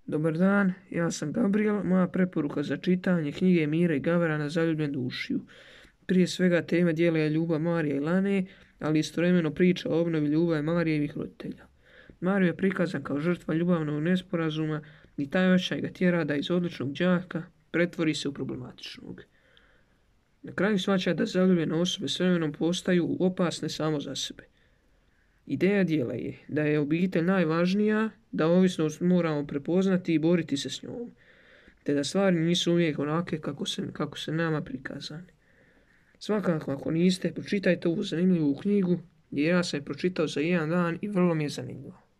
Dobar dan, ja sam Gabriel, moja preporuka za čitanje knjige Mire i Gavrana Zaljubljen dušiju. Prije svega teme dijela je ljubav Marije i Lane, ali istovremeno priča o obnovi ljubavi Marijevih roditelja. Mario je prikazan kao žrtva ljubavnog nesporazuma i taj osjećaj ga tjera da iz odličnog đaka pretvori se u problematičnog. Na kraju shvaća da zaljubljene osobe s vremenom postaju opasne samo za sebe. Ideja dijela je da je obitelj najvažnija, da ovisnost moramo prepoznati i boriti se s njom, te da stvari nisu uvijek onake kako se nama prikazane. Svakako, ako niste, pročitajte ovu zanimljivu knjigu, jer ja sam je pročitao za jedan dan i vrlo mi je zanimljivo.